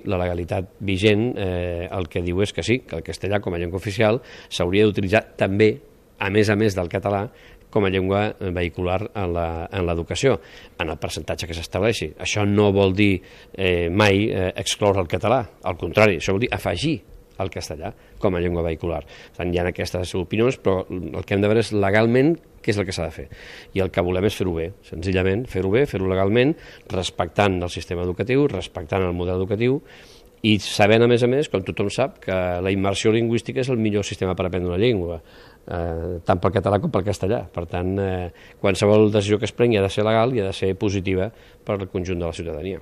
La legalitat vigent el que diu és que sí, que el castellà com a llengua oficial s'hauria d'utilitzar també, a més del català, com a llengua vehicular en l'educació, en el percentatge que s'estableixi. Això no vol dir mai excloure el català, al contrari, això vol dir afegir el castellà com a llengua vehicular. Hi ha aquestes opinions, però el que hem de veure és legalment què és el que s'ha de fer. I el que volem és fer-ho bé, senzillament, fer-ho bé, fer-ho legalment, respectant el sistema educatiu, respectant el model educatiu, i sabent, a més, com tothom sap, que la immersió lingüística és el millor sistema per aprendre una llengua, tant pel català com pel castellà. Per tant, qualsevol decisió que es prengui ha de ser legal i ha de ser positiva per al conjunt de la ciutadania.